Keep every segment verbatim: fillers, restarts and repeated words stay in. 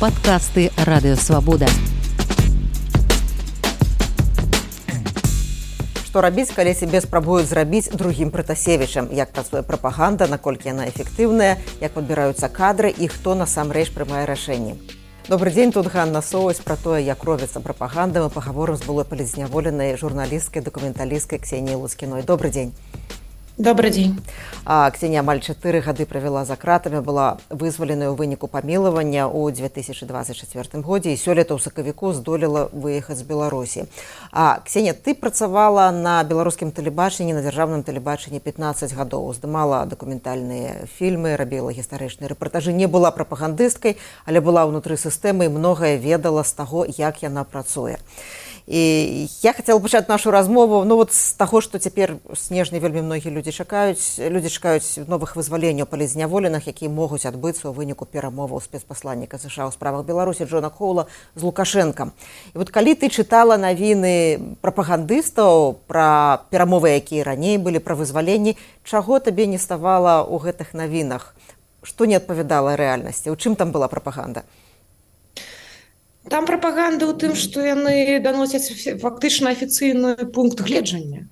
Падкасты радыёвабода. Што рабіць, калі сябе спрабуюць зрабіць другім Пратасевічам? Як працуе прапаганда, наколькі яна эфектыўная, як падбіраюцца кадры і хто насамрэч прымае рашэнні? Добрый дзень, тут Ганна Соваць. Пра тое, як робіцца прапаганда, мы пагаворым з былой палітзняволенай журналісткай, дакументалісткай Ксеніяй Луцкіной. Добрый дзень. Добрый дзень. А, Ксенія амаль чатыры гады правяла за кратамі, была вызваленая ў выніку памілавання ў дзве тысячы дваццаць чацвёртым годзе і сёлета ў сакавіку здолела выехаць з Беларусі. А, Ксенія, ты працавала на беларускім тэлебачанні, на дзяржаўным тэлебачанні пятнаццаць гадоў, здымала дакументальныя фільмы, рабіла гістарычныя рэпартажы, не была прапагандысткай, але была ўнутры сістэмы і многае ведала з таго, як яна працуе. І я хацела пачаць нашу размову ну, вот з таго, што цяпер снежня вельмі многія людзі чакаюць. Людзі чакаюць новых вызваленняў палітзняволеных, якія могуць адбыцца ў выніку перамоваў спецпасланніка США ў справах Беларусі Джона Коула з Лукашэнкам. І вот калі ты чытала навіны прапагандыстаў пра перамовы, якія раней былі, пра вызваленні, чаго табе не ставала ў гэтых навінах? Што не адпавядала рэальнасці? У чым там была прапаганда? Там прапаганда ў тым, што яны даносяць фактычна афіцыйны пункт гледжання.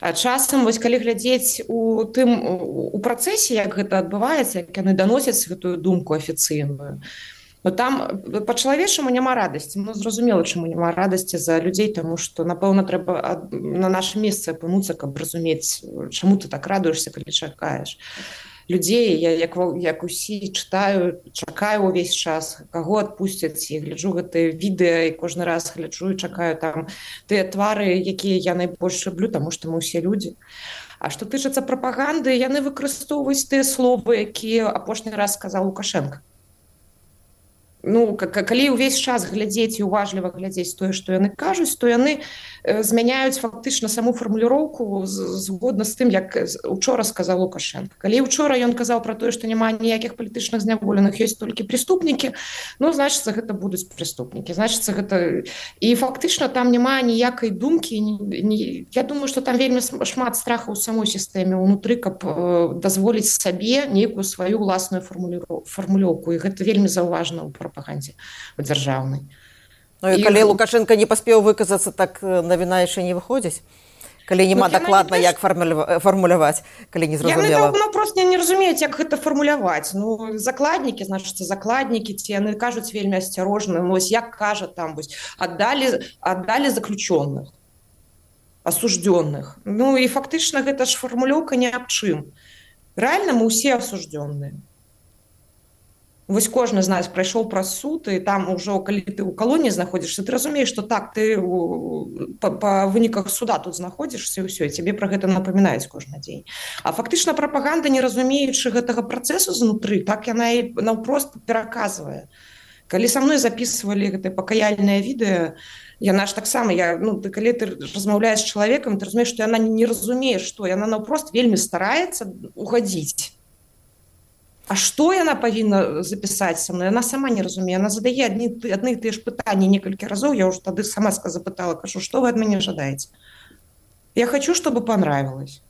А часам, вось, калі глядзець у тым у працэсе, як гэта адбываецца, як яны даносяць гэтую думку афіцыйную, но там па-чалавечаму няма радасці. Ну, зразумела, чаму няма радасці за людзей, таму што, напэўна, трэба на наша месца апынуцца, каб разумець, чаму ты так радуешся, калі чакаеш. Людзей, я, як, як усі чытаю, чакаю ўвесь час, каго адпусцяць, і гляджу гэтыя відэа, і кожны раз гляджу і чакаю там тыя твары, якія я найбольш люблю, таму што мы ўсе людзі. А што тычыцца прапаганды, яны выкарыстоўваюць тыя словы, якія апошні раз сказаў Лукашенка. Ну, калі ўвесь час глядзець і уважліва глядзець тое, што яны кажуць, то яны змяняюць фактычна саму фармуліроўку згодна з тым, як учора сказаў Лукашенко. Калі учора ён казаў пра тое, што няма ніякіх палітычных зняволеных, ёсць толькі преступнікі, ну, значыцца, гэта будуць преступнікі. Значыцца, гэта... І фактычна там няма ніякай думкі. Ні... Я думаю, што там вельмі шмат страха ў самой сістэме ўнутры, каб дазволіць сабе нейкую сваю ўласную фармулёўку. І гэта вельмі заўважна ў прапагандзе дзяржаўнай. Ну і калі і... Лукашенко не паспеў выказацца, так навіна яшчэ не выходзіць? Калі няма ну, дакладна, не як фармуляваць, калі не зразумела? Яны ну, проста не разумеюць, як гэта фармуляваць. Ну, закладнікі, значыцца, закладнікі, ці яны кажуць вельмі асцярожна. Ну, ось як кажа там, вось, аддалі, аддалі заключённых, асуждённых. Ну, і фактычна гэта ж фармулёўка не аб чым. Рэальна мы ўсе асуждённыя. Вось кожны з нас прайшоў праз суд, і там ужо, калі ты ў калоніі знаходзішся, ты разумееш, што так, ты па, па выніках суда тут знаходзішся, і ўсё, і цябе пра гэта напамінаюць кожны дзень. А фактычна прапаганда, не разумеючы гэтага працэсу знутры, так яна і наўпрост пераказвае. Калі са мной запісвалі гэтае пакаяльнае відэа, яна ж таксама, я, ну, ты, калі ты размаўляеш з чалавекам, ты разумееш, што яна не разумее, што яна наўпрост вельмі стараецца угадзіць. А што яна павінна запісаць са мной? Яна сама не разумее. Яна задае адны, адны і тыя ж пытанні некалькі разоў. Я ўжо тады сама запытала, кажу, што вы ад мяне жадаеце? Я хочу, чтобы понравилось.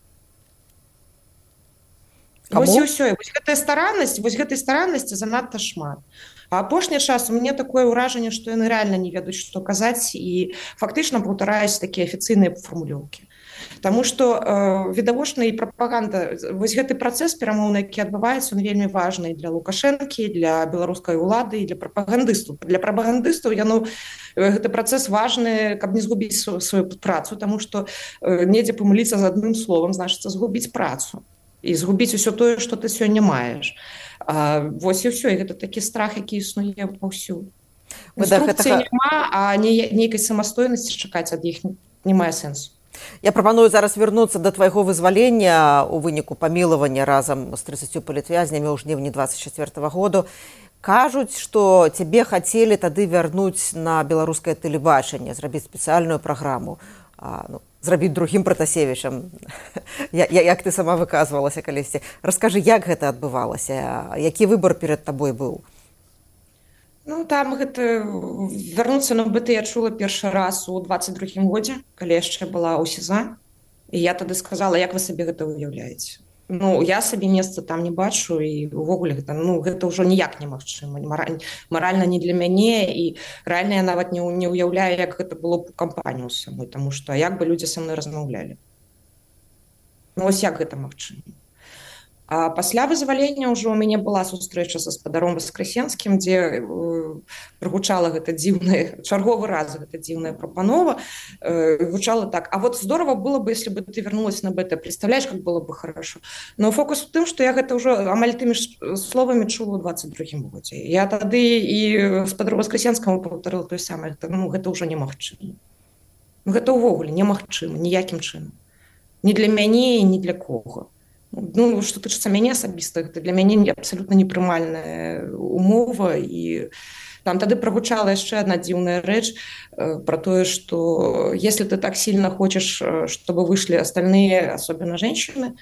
Вось і ўсё. Вось гэтая стараннасць, вось гэтай стараннасці занадта шмат. А апошні час у мяне такое ўражанне, што яны рэальна не ведаюць, што казаць, і фактычна паўтараюць такія афіцыйныя фармулёўкі. Таму што э, відавочна і прапаганда, вось гэты працэс перамоўны, які адбываецца, он вельмі важны для Лукашэнкі, для беларускай улады і для прапагандыстаў. Для прапагандыстаў яно, гэты працэс важны, каб не згубіць сваю працу, таму што э, недзе памыліцца з адным словам, значыцца згубіць працу і згубіць усё тое, што ты сёння маеш. А, вось і ўсё, і гэта такі страх, які існуе паўсюль. Інструкцыі гэтага... няма, а не, нейкай самастойнасці чакаць ад іх не мае сэнсу. Я прапаную зараз вярнуцца да твайго вызвалення ў выніку памілавання разам з трыццаццю палітвязнямі ў жніўні дваццаць чацвёртага году. Кажуць, што цябе хацелі тады вярнуць на беларускае тэлебачанне, зрабіць спецыяльную праграму, а, ну, зрабіць другім Пратасевічам, я, як ты сама выказвалася калісьці. Раскажы, як гэта адбывалася, які выбар перад табой быў? Ну, там гэта вярнуцца на БТ я чула першы раз у дваццаць другім годзе, калі яшчэ была ў СІЗА. І я тады сказала, як вы сабе гэта уяўляеце. Ну я сабе месца там не бачу і увогуле гэта ну гэта ўжо ніяк немагчыма маральна не для мяне і рэальна я нават не, не уяўляю як гэта было б у кампанію самой тому што як бы людзі са мной размаўлялі ну вось як гэта магчыма. А пасля вызвалення ўжо у мяне была сустрэча са спадаром Васкрасенскім, дзе э, прагучала гэта дзіўная чарговы раз гэта дзіўная прапанова э, гучала так а вот здорово было бы если бы ты вернулась на БТ, представляешь как было бы хорошо, но фокус у тым што я гэта ўжо амаль тымі словамі чула ў двадцать другім годзе я тады і спадару Васкрасенскаму паўтарыла тое самае гэта, ну, гэта ўжо немагчыма ну, гэта ўвогуле немагчыма ніякім чынам ні для мяне і ні для кого. Ну, што тычыцца мяне асабіста, гэта для мяне абсалютна непрымальная умова і там тады прагучала яшчэ одна дзіўная рэч э, про тое, што если ты так сильно хочешь, чтобы вышли остальные, особенно женщины,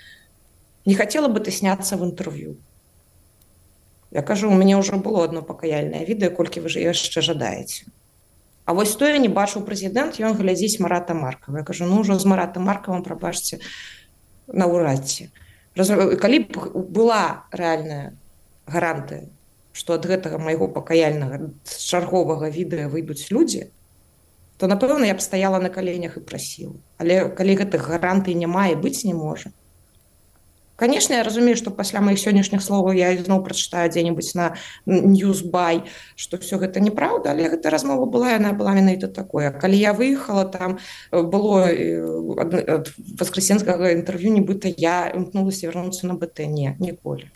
не хотела бы ты сняться в интервью. Я кажу, у мяне ўжо было одно пакаяльнае відэа, колькі вы ж яшчэ жадаеце. А вось то я не бачыў прэзідэнт, ён глядзіць Марата Маркава. Я кажу, ну ўжо з Маратам Маркавым, прабачце, наўрад ці. Калі б была рэальная гарантыя, што ад гэтага майго пакаяльнага чарговага відэа выйдуць людзі, то, напэўна, я б стаяла на каленях і прасіла. Але калі гэтых гарантый няма і быць не можа. Конечно, я разумею, што пасля маіх сённяшніх словаў я зноў прачытаю дзе-небудзь на Newsbuy, што ўсё гэта неправда, але гэта размова была, яна была менавіта такое. Калі я выехала, там было ад Васкрасенскага інтэрв'ю, нібыта я імкнулася вярнуцца на БТ. Не, ніколі.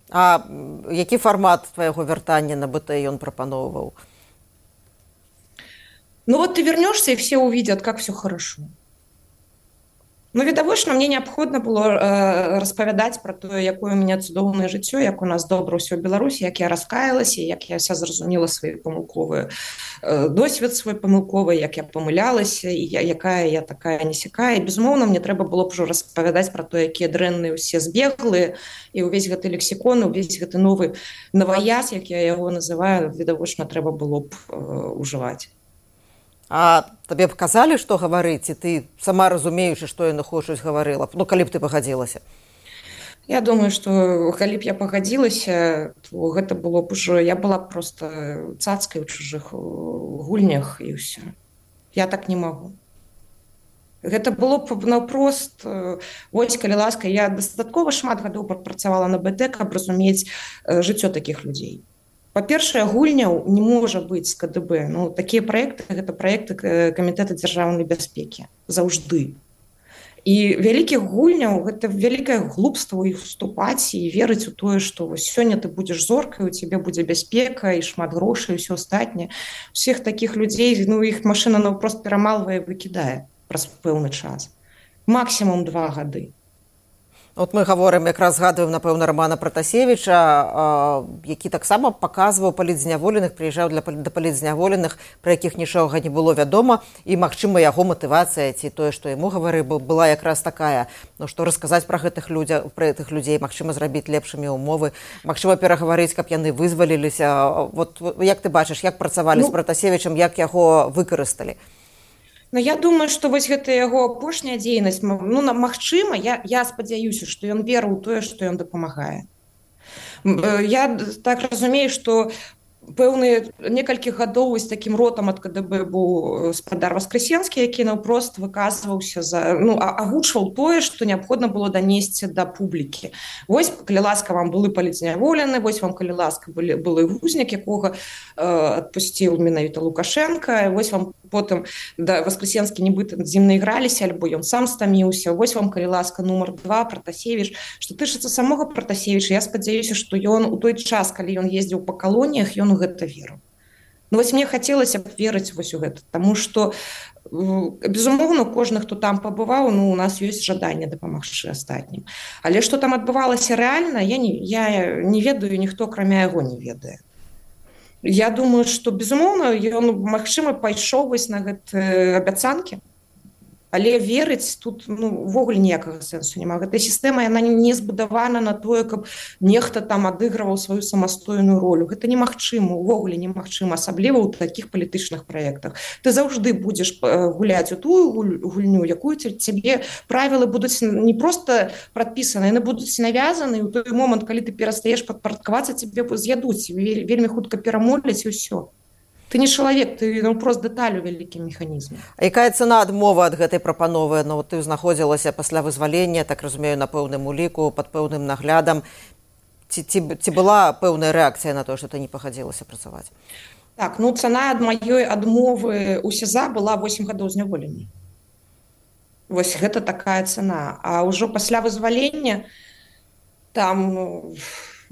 А які фармат твайго вяртання на БТ ён прапаноўваў? Ну вот ты вернешься, и все увидят, как все хорошо. Ну, відавочна, мне неабходна было э, распавядаць пра тое, якое у мяне цудоўнае жыццё, як у нас добра ўсё ў Беларусі, як я раскаялася, як я вся зразумела свае памылковыя э, досвед свой памылковы, як я памылялася, і я, якая я такая несякая. І, безумоўна, мне трэба было б ужо распавядаць пра то, якія дрэнныя ўсе збеглыя, і ўвесь гэты лексікон, увесь гэты новы наваяз, як я яго называю, відавочна, трэба было б э, ужываць. А табе б казалі, што гаварыць, і ты сама разумеючы, што яны хочуць, гаварыла б? Ну, калі б ты пагадзілася? Я думаю, што калі б я пагадзілася, то гэта было б ужо... Я была проста цацкай у чужых гульнях, і ўсё. Я так не магу. Гэта было б наўпрост... Вось, калі ласка, я дастаткова шмат гадоў працавала на БТ, каб разумець жыццё такіх людзей. Па-першае, гульняў не можа быць з КДБ. Ну, такія праекты, гэта праекты Камітэта дзяржаўнай бяспекі. Заўжды. І вялікіх гульняў, гэта вялікае глупства ў іх уступаць і верыць у тое, што сёння ты будзеш зоркай, у цябе будзе бяспека і шмат грошай, і ўсё астатняе. Усіх такіх людзей, ну, іх машына наўпрост перамалвае і выкідае праз пэўны час. Максімум два гады. От мы гаворым, якраз згадваем, напэўна, Рамана Пратасевіча, які таксама паказваў палітзняволеных, прыязджаў для да палітзняволеных, пра якіх нічога не было вядома, і, магчыма, яго матывацыя ці тое, што яму гаварыў, была якраз такая, ну, што расказаць пра гэтых людзей, пра гэтых людзей, магчыма, зрабіць лепшымі ўмовы, магчыма, перагаварыць, каб яны вызваліліся. Вот як ты бачыш, як працавалі ну, з Пратасевічам, як яго выкарысталі? Ну, я думаю, што вось гэта яго апошняя дзейнасць, ну, магчыма, я, я спадзяюся, што ён верыў у тое, што ён дапамагае. Я так разумею, што пэўныя некалькі гадоў з такім ротам ад КДБ быў спадар Васкрасенскі, які наўпрост выказваўся за, ну, агучваў тое, што неабходна было данесці да публікі. Вось, калі ласка, вам былі палітзняволены, вось вам, калі ласка, былі, былі гузняк, якога э, адпусціў менавіта Лукашенка, вось вам потым да Васкрасенскі нібыта з ім наіграліся, альбо ён сам стаміўся, вось вам, калі ласка, нумар два, Пратасевіч. Што тычыцца самога Пратасевіча, я спадзяюся, што ён у той час, калі ён ездзіў па калоніях, ён у гэта веру. Ну, вось мне хацелася б верыць вось у гэта, таму што, безумоўна, кожны, хто там пабываў, ну, у нас ёсць жаданне дапамагчы астатнім. Але што там адбывалася рэальна, я не, я не ведаю, ніхто, акрамя яго, не ведае. Я думаю, што, безумоўна, ён, магчыма, пайшоў вось на гэтыя абяцанкі. Але верыць тут ну, увогуле ніякага сэнсу няма. Гэта сістэма яна не збудавана на тое, каб нехта там адыгрываў сваю самастойную ролю. Гэта немагчыма, увогуле немагчыма, асабліва ў такіх палітычных праектах. Ты заўжды будзеш гуляць у тую гульню, якую цябе правілы будуць не проста прадпісаны, яны будуць навязаны, і ў той момант, калі ты перастаеш падпарадкавацца, цябе з'ядуць, вельмі хутка перамоляць і ўсё. Ты не чалавек, ты ну, просто дэталь у вялікім механізме. А якая цана адмова ад гэтай прапановы? Ну, ты знаходзілася пасля вызвалення, так разумею, на пэўным уліку, пад пэўным наглядам. Ці, ці, ці была пэўная рэакцыя на то, што ты не пагадзілася працаваць? Так, ну цана ад маёй адмовы ў СІЗА была восем гадоў зняволення. Вось гэта такая цана. А ўжо пасля вызвалення там... Ну,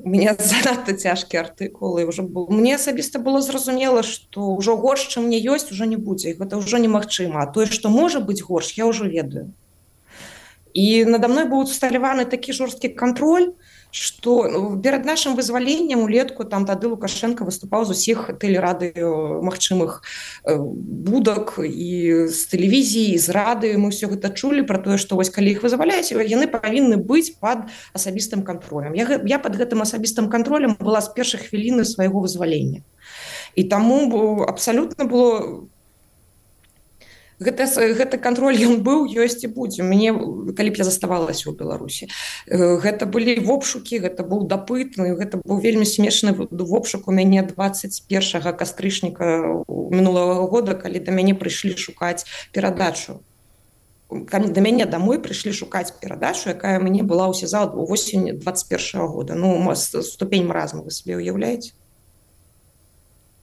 у меня занадта цяжкія артыкулы. Уже был... Мне асабіста было зразумела, што ўжо горш, чым мне ёсць, ужо не будзе. Гэта ўжо немагчыма. А тое, што можа быць горш, я ўжо ведаю. І надо мной быў усталяваны такі жорсткі кантроль, што перад нашым вызваленнем улетку там тады Лукашенко выступаў з усіх тэлерадыё магчымых будак і з тэлевізіі, і з рады. Мы ўсё гэта чулі пра тое, што вось калі іх вызваляюць, яны павінны быць пад асабістым кантролем. Я, я пад гэтым асабістым кантролем была з першых хвіліны свайго вызвалення. І таму абсалютна было... Гэта, гэта кантроль ён быў, ёсць і будзе. Мне, калі б я заставалася ў Беларусі. Гэта былі вобшукі, гэта быў дапыт, гэта быў вельмі смешны вобшук у мяне дваццаць першага кастрычніка мінулага года, калі да мяне прыйшлі шукаць перадачу. Калі да мяне дамой прыйшлі шукаць перадачу, якая мне была ў СІЗА ў восені дваццаць першага года. Ну, ступень маразму вы сабе ўяўляеце?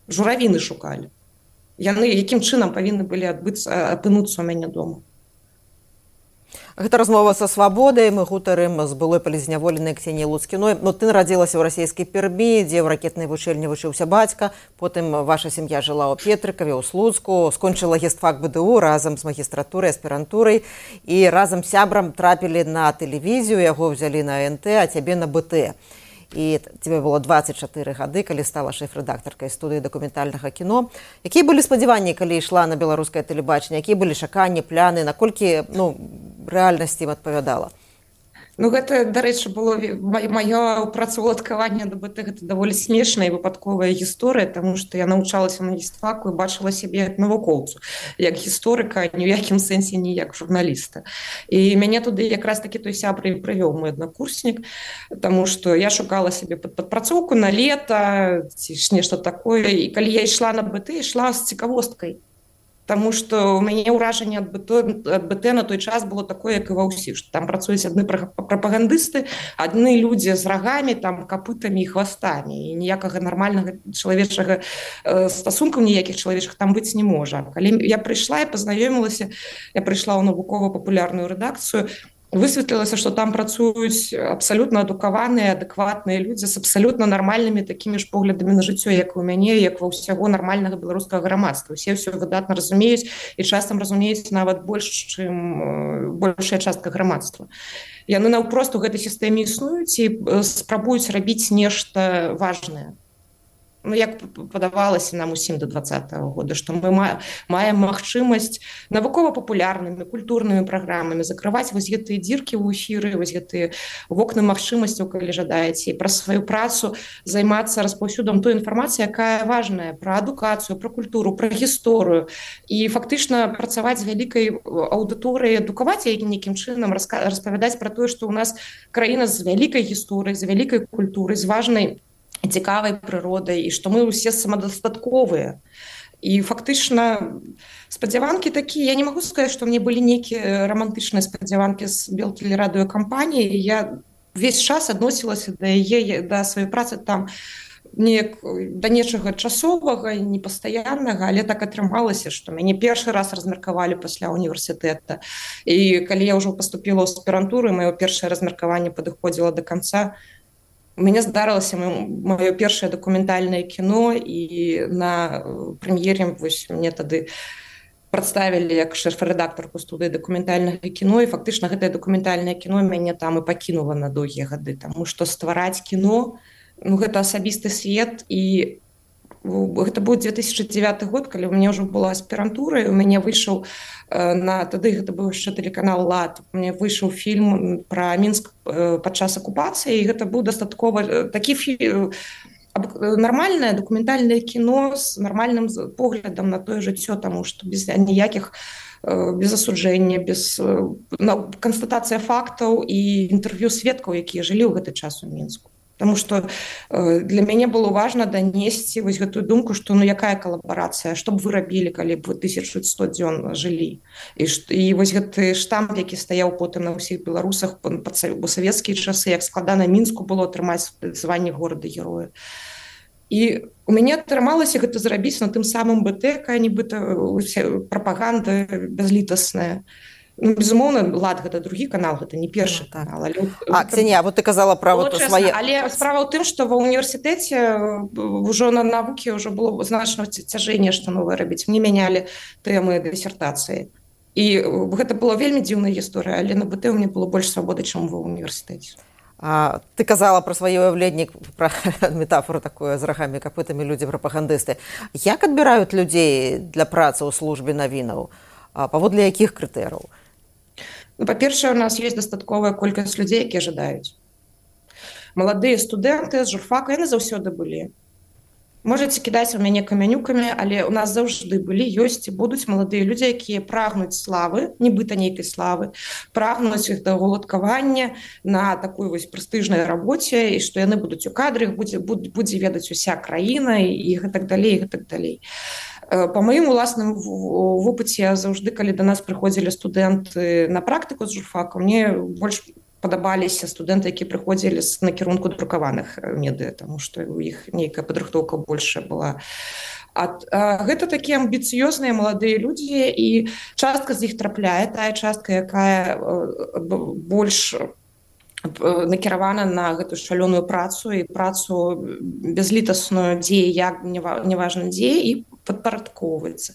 Журавіны шукалі. Яны якім чынам павінны былі адбыцца, апынуцца ў мяне дома. Гэта размова са свабодай. Мы гутарым з былой палізняволенай Ксеніяй Луцкіной. Ну, ты нарадзілася ў расійскай Пермі, дзе ў ракетнай вучэльні вучыўся бацька. Потым ваша сям'я жыла ў Петрыкаве, ў Слуцку, скончыла гістфак БДУ разам з магістратурай, аспірантурай. І разам з сябрам трапілі на тэлевізію, яго ўзялі на эн тэ, а цябе на бэ тэ. І тебе было дваццаць чатыры гады, калі стала шэф-рэдактаркай студыі дакументальнага кіно. Якія былі спадзяванні, калі ішла на беларускае тэлебачанне? Якія былі чаканні, пляны, наколькі ну, рэальнасці ім адпавядала? Ну, гэта, дарэчы, было маё працаўладкаванне да бэ тэ, гэта даволі смешная і выпадковая гісторыя, таму што я навучалася на гістфаку і бачыла сябе як навукоўцу, як гісторыка, ні ў якім сэнсе не як журналіста. І мяне туды якраз такі той сябра і прывёў мой аднакурснік, таму што я шукала сябе пад падпрацоўку на лета, ці ж нешта такое, і калі я ішла на бэ тэ, ішла з цікавосткай. Таму што ў мяне ўражанне ад бэ тэ на той час было такое, як і ва ўсіх, што там працуюць адны прапагандысты, адны людзі з рагамі, там, капытамі і хвастамі, і ніякага нармальнага чалавечага стасункаў ніякіх чалавечых там быць не можа. Калі я прыйшла і пазнаёмілася, я прыйшла ў навукова-папулярную рэдакцыю, высветлілася, што там працуюць абсалютна адукаваныя, адэкватныя людзі з абсалютна нармальнымі такімі ж поглядамі на жыццё, як у мяне, як ва ўсяго нармальнага беларускага грамадства. Усе ўсё выдатна разумеюць і часам разумеюць нават больш, чым большая частка грамадства. Яны наўпрост у гэтай сістэме існуюць і спрабуюць рабіць нешта важнае. Ну, як падавалася нам усім да двадцатага года, што мы маем магчымасць навукова-папулярнымі, культурнымі праграмамі закрываць вось гэтыя дзіркі ў эфіры, вось гэтыя вокны магчымасцяў, калі жадаеце, і праз сваю працу займацца распаўсюдам той інфармацыі, якая важная, пра адукацыю, пра культуру, пра гісторыю, і фактычна працаваць з вялікай аўдыторыяй, адукаваць яе нейкім чынам, распавядаць пра тое, што ў нас краіна з вялікай гісторыяй, з вялікай культурай, з важнай цікавай прыродай, і што мы ўсе самадастатковыя. І фактычна спадзяванкі такія, я не магу сказаць, што мне былі нейкія рамантычныя спадзяванкі з белтэлерадыёкампаніі. Я увесь час адносілася да яе, да сваёй працы там неяк да нечага часовага, непастаяннага, але так атрымалася, што мяне першы раз размеркавалі пасля універсітэта. І калі я ўжо паступіла ў аспірантуру, маё першае размеркаванне падыходзіла да канца, у мяне здарылася маё першае дакументальнае кіно, і на прэм'ере вось мне тады прадставілі як шэф-рэдактарку студыі дакументальнага кіно, і фактычна гэтае дакументальнае кіно мяне там і пакінула на доўгія гады, таму што ствараць кіно, ну, гэта асабісты свет, і гэта быў две тысячи девяты год, калі у мяне ўжо была аспірантура, і у мяне выйшаў на тады гэта быў яшчэ тэлеканал Лад. У мяне выйшаў фільм пра Мінск падчас акупацыі, і гэта быў дастаткова такі фільм, нармальнае дакументальнае кіно з нармальным поглядам на тое жыццё, таму што без ніякіх без асуджэння, без канстатацыя фактаў і інтэрв'ю сведкаў, якія жылі ў гэты час у Мінску. Таму што для мяне было важна данесці вось гэтую думку, што ну якая калабарацыя, што б вы рабілі, калі б вы тысяча сто дзён жылі. І, і вось гэты штамп, які стаяў потым на ўсіх беларусах па савецкія часы, як складана Мінску было атрымаць званне горада-героя. І у мяне атрымалася гэта зрабіць на тым самым БТ, якая нібыта прапаганда бязлітасная. Ну, безумоўна, Лад гэта другі канал, гэта не першы ну, так. канал. Але... А, Ксенія, вот ты казала пра вот свае... Але справа ў тым, што ва ўніверсітэце ўжо на навукі ўжо было значна цяжэй нешта новае рабіць. Мне мянялі тэмы дысертацыі. І гэта была вельмі дзіўная гісторыя, але на БТ у мяне было больш свабоды, чым ва ўніверсітэце. А, ты казала пра свае ўяўленні, пра метафору такую з рагамі, капытамі людзі-прапагандысты. Як адбіраюць людзей для працы ў службе навінаў? А паводле якіх крытэрыяў? Ну, па-першае, у нас ёсць дастатковая колькасць людзей, якія жадаюць. Маладыя студэнты з журфака, яны заўсёды былі. Можаце кідаць у мяне камянюкамі, але у нас заўжды былі, ёсць і будуць маладыя людзі, якія прагнуць славы, нібыта нейкай славы, прагнуць іх да уладкавання на такой вось прэстыжнай рабоце, і што яны будуць у кадры, будзе, будзе ведаць уся краіна і гэтак далей, і гэтак далей. Па маім уласным вопыце, заўжды, калі да нас прыходзілі студэнты на практыку з журфака, мне больш падабаліся студэнты, якія прыходзілі з накірунку друкаваных медыа, таму што у іх нейкая падрыхтоўка большая была. А, а гэта такія амбіцыёзныя маладыя людзі, і частка з іх трапляе, тая частка, якая больш накіравана на гэту шалёную працу і працу бязлітасную, дзе як неважна дзе, і падпарадкоўваецца.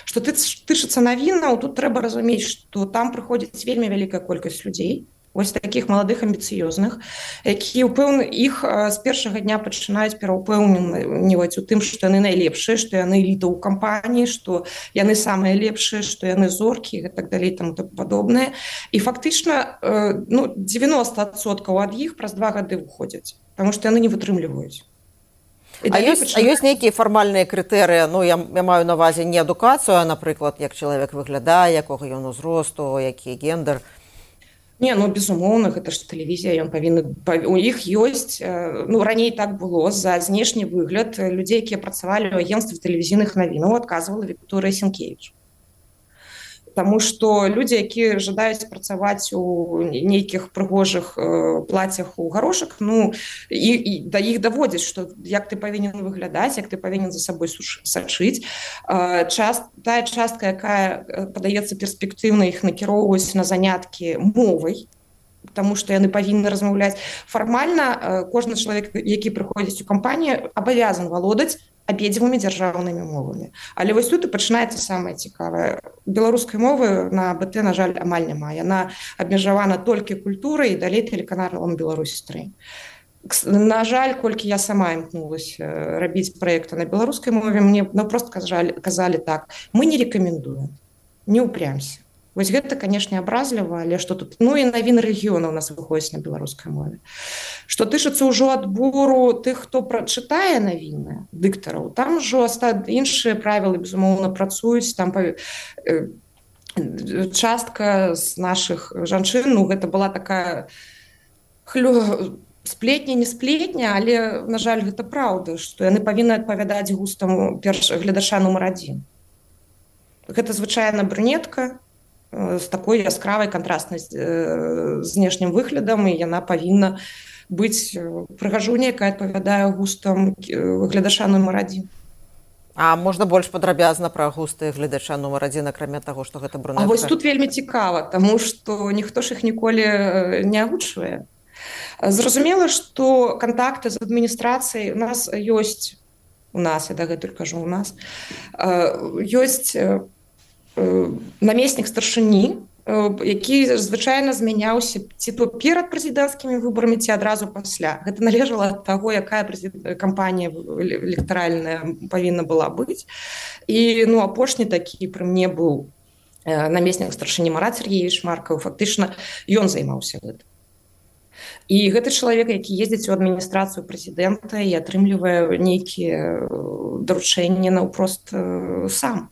Што тычыцца навінаў, тут трэба разумець, што там прыходзіць вельмі вялікая колькасць людзей, вось такіх маладых амбіцыёзных, якія ўпэўны іх з першага дня пачынаюць пераўпэўніваць у тым, што яны найлепшыя, што яны эліта ў кампаніі, што яны самыя лепшыя, што яны зоркі і так далей, таму так падобнае. І фактычна ну, дзевяноста адсоткаў ад іх праз два гады выходзяць, таму што яны не вытрымліваюць. А ёсць, пачынаюць... а ёсць нейкія фармальныя крытэрыі, ну я, я маю на ўвазе не адукацыю, а, напрыклад, як чалавек выглядае, якога ён узросту, які гендер. Не, ну, безумоўна, гэта ж тэлевізія, ён павінны... У іх ёсць... Ну, раней так было, за знешні выгляд людзей, якія працавалі ў агенцтве тэлевізійных навінаў, адказвала Вікторыя Сенкевіч. Таму што людзі, якія жадаюць працаваць у нейкіх прыгожых э, плацях у гарошак, ну, і, і да іх даводзяць, што як ты павінен выглядаць, як ты павінен за сабой сачыць. Э, част, тая частка, якая падаецца перспектыўна, іх накіроўваюць на заняткі мовай, таму што яны павінны размаўляць. Фармальна э, кожны чалавек, які прыходзіць у кампанію, абавязан валодаць абедзвюмі дзяржаўнымі мовамі. Але вось тут і пачынаецца самае цікавае. Беларускай мовы на БТ, на жаль, амаль няма. Яна абмежавана толькі культурай і далей тэлеканалам Беларусь-тры. На жаль, колькі я сама імкнулася рабіць праекты на беларускай мове, мне ну, просто казалі, казалі так, мы не рэкамендуем, не упрямся. Вось гэта, канешне, абразліва, але што тут... Ну і навіны рэгіёна ў нас выходзіць на беларускай мове. Што тычыцца ўжо адбору тых, хто прачытае навіны, дыктараў, там ужо іншыя правілы, безумоўна, працуюць, там частка з нашых жанчын, ну гэта была такая хлю... сплетня, не сплетня, але, на жаль, гэта праўда, што яны павінны адпавядаць густам перш гледача нумар адзін. Гэта звычайна брюнетка, з такой яскравай кантрастнай знешнім выглядам, і яна павінна быць прыгажуняй, якая адпавядае густам гледача нумар адзін. А можна больш падрабязна пра густы гледача нумар адзін, акрамя таго, што гэта брюнетка? А вось тут вельмі цікава, таму што ніхто ж іх ніколі не агучвае. Зразумела, што кантакты з адміністрацыяй у нас ёсць, у нас, я дагэтуль кажу, у нас, ёсць намеснік старшыні які звычайна змяняўся ці то перад прэзідэнцкімі выбарамі, ці адразу пасля. Гэта належала ад таго, якая кампанія электаральная павінна была быць. І ну, апошні такі пры мне быў намеснік старшыні Марат Сергеевич Маркаў. Фактычна ён займаўся гэтым. І гэты чалавек, які ездзіць у адміністрацыю прэзідэнта і атрымлівае нейкія даручэнні наўпрост сам.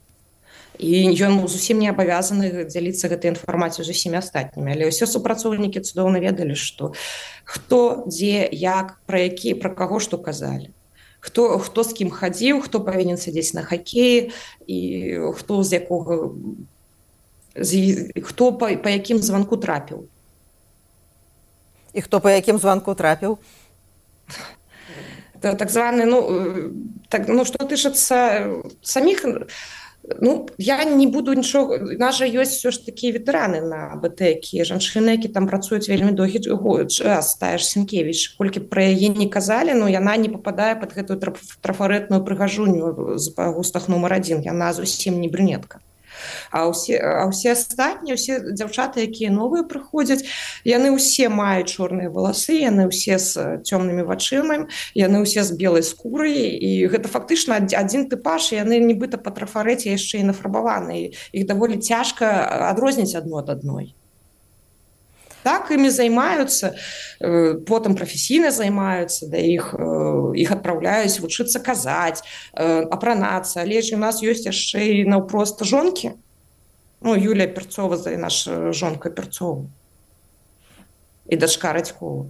І ён зусім не абавязаны дзяліцца гэтай інфармацыяй з усімі астатнімі. Але ўсе супрацоўнікі цудоўна ведалі, што хто, дзе, як, пра які, пра каго што казалі. Хто, хто з кім хадзіў, хто павінен сядзець на хакеі і хто з якога, з, хто па, па якім званку трапіў. І хто па якім званку трапіў? Так званы, ну, так, ну што тычыцца саміх... Ну, я не буду нічога... У нас жа ёсць все ж такі ветэраны на БТ, якія жанчыны, які там працуюць вельмі доўгі час, тая ж Сенкевіч. Колькі пра яе не казалі, но яна не пападае пад гэтую трафарэтную прыгажуню з па густах нумар адзін. Яна зусім не брюнетка. А ўсе, а ўсе астатнія, ўсе дзяўчаты, якія новыя прыходзяць, яны ўсе маюць чорныя валасы, яны ўсе з цёмнымі вачыма, яны ўсе з белай скурай, і гэта фактычна адзін тыпаж, і яны нібыта па трафарэце яшчэ і нафарбаваны. Іх даволі цяжка адрозніць адно ад адной. Так, імі займаюцца, потым прафесійна займаюцца, да іх, іх адпраўляюць вучыцца казаць, апранацца. Але ж у нас ёсць яшчэ і наўпрост жонкі. Ну, Юлія Перцова, наша жонка Перцова. І дачка Радькова.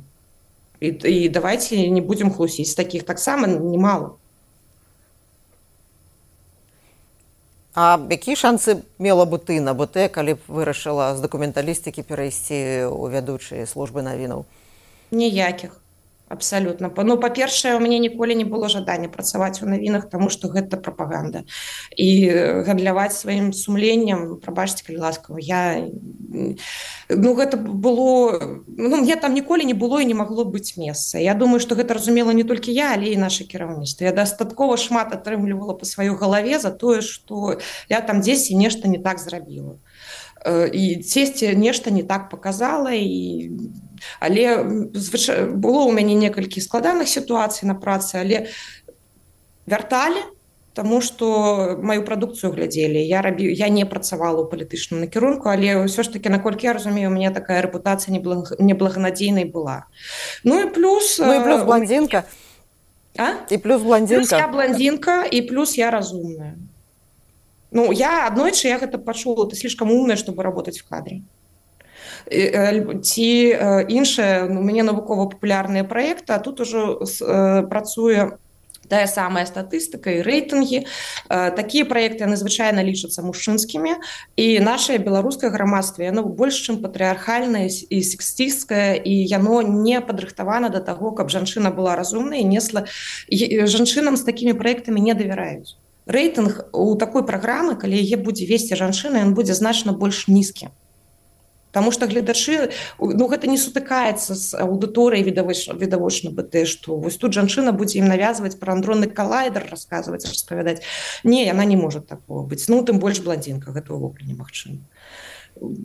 І, і давайте не будзем хлусіць. Такіх таксама немало. А якія шансы мела бы ты на БТ, калі б вырашыла з дакументалістыкі перайсці ў вядучыя службы навінаў? Ніякіх. Абсалютна. Ну, па-першае, у мяне ніколі не было жадання працаваць у навінах, таму што гэта прапаганда. І гандляваць сваім сумленнем, прабачце, калі ласкава, я... Ну, гэта было... Ну, мне там ніколі не было і не магло быць месца. Я думаю, што гэта разумела не толькі я, але і наша кіраўніцтва. Я дастаткова шмат атрымлівала па сваёй галаве за тое, што я там дзесьці нешта не так зрабіла. І дзесьці нешта не так паказала, і... але звычай... было ў мяне некалькі складаных сітуацый на працы, але вярталі, таму што маю прадукцыю глядзелі. Я, рабі... я не працавала ў палітычным накірунку, але ўсё ж такі, наколькі я разумею, у мяне такая рэпутацыя неблаг... неблаганадзейнай была. Ну і плюс... Ну і плюс блондзінка. А? І плюс блондзінка. Плюс я блондзінка, і плюс я разумная. Ну, я аднойчы я гэта пачула, ты слишком умная, чтобы работать в кадре. Ці іншае, у мяне навукова-папулярныя праекты, а тут ужо працуе тая самая статыстыка і рэйтынгі. Такія праекты, яны звычайна лічацца мужчынскімі, і нашае беларускае грамадства, яно больш чым патрыархальнае і сексістскае, і яно не падрыхтавана да таго, каб жанчына была разумнай і несла... Жанчынам з такімі праектамі не давяраюць. Рэйтынг у такой праграмы, калі яе будзе весці жанчына, ён будзе значна больш нізкі. Таму што гледачы, ну, гэта не сутыкаецца з аўдыторыяй відавочна БТ, што вось тут жанчына будзе ім навязваць пра андронны калайдер, расказваць, распавядаць. Не, яна не можа такого быць. Ну, тым больш блондзінка, гэта ўвогуле немагчыма.